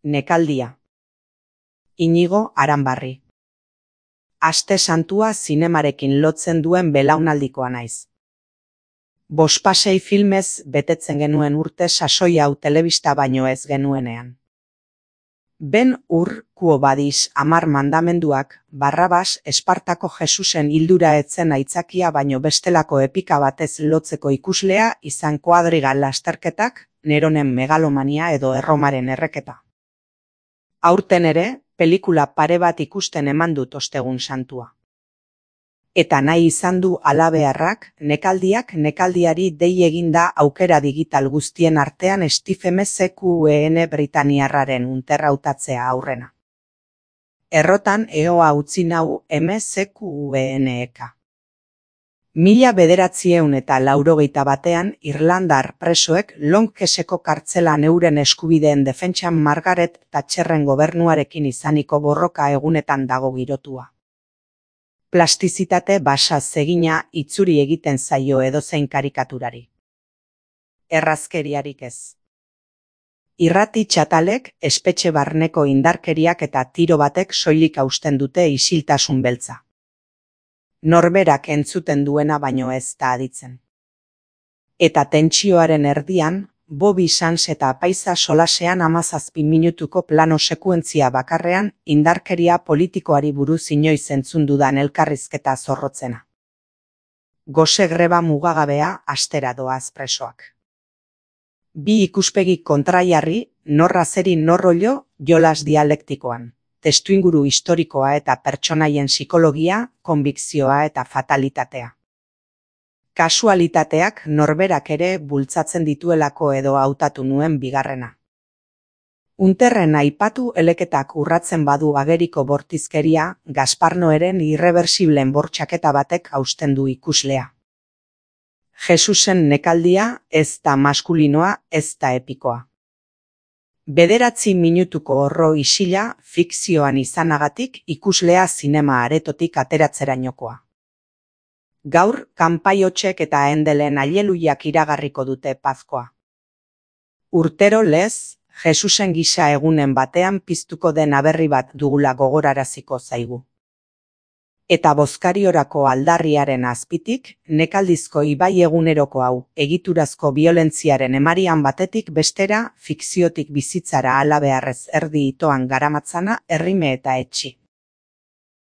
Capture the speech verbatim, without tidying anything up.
Nekaldia. Inigo Aranbarri. Aste santua zinemarekin lotzen duen belaunaldikoa naiz. Bospasei filmez betetzen genuen urte sasoi hau telebista baino ez genuenean. Ben Hur, Quo Vadis, Amar mandamenduak, Barrabas, Espartako Jesusen hildura etzen aitzakia baino bestelako epika batez lotzeko ikuslea izan Koadriga lasterketak, Neronen megalomania edo Erromaren erreketa. Aurten ere, pelikula pare bat ikusten eman dut ostegun santua. Eta nahi izan du halabeharrak, nekaldiak nekaldiari dei eginda aukera digital guztien artean Stephen M C Q E N Britaniarraren unterrautatzea aurrena. Errotan eoa utzi nau M C Q E N E K. Mila bederatzieun eta laurogeita batean Irlandar presoek Longkeseko kartzelan euren eskubideen defentsan Margaret Thatcherren gobernuarekin izaniko borroka egunetan dago girotua. Plastizitate basa zegina itzuri egiten zaio edozein karikaturari. Errazkeriarik ez. Irrati txatalek espetxe barneko indarkeriak eta tiro batek soilik hausten dute isiltasun beltza. Norberak entzuten duena baino ez da aditzen. Eta tentsioaren erdian, Bobby Sands eta Apaiza solasean hamazazpi minutuko plano sekuentzia bakarrean indarkeria politikoari buruz inoiz entzun dudan elkarrizketa zorrotzena. Gose greba mugagabea astera doaz presoak. Bi ikuspegi kontraiarri, norra zeri norrollo, jolas dialektikoan. Testuinguru historikoa eta pertsonaien psikologia, konbikzioa eta fatalitatea. Kasualitateak norberak ere bultzatzen dituelako edo hautatu nuen bigarrena. Unterren aipatu eleketak urratzen badu ageriko bortizkeria, Gaspar Noeren irreversiblen bortxaketa batek hausten du ikuslea. Jesusen nekaldia ez da maskulinoa, ez da epikoa. Bederatzi minutuko horro isila fikzioan izanagatik ikuslea zinema aretotik ateratzerainokoa. Gaur, kanpaiotxek eta endelen aileluiak iragarriko dute pazkoa. Urtero lez, Jesusen gisa egunen batean piztuko den aberri bat dugula gogoraraziko zaigu. Eta bozkariorako aldarriaren azpitik, nekaldizko ibai eguneroko hau, egiturazko biolentziaren emarian batetik bestera, fikziotik bizitzara halabeharrez erdi itoan garamatzana errime eta etxi.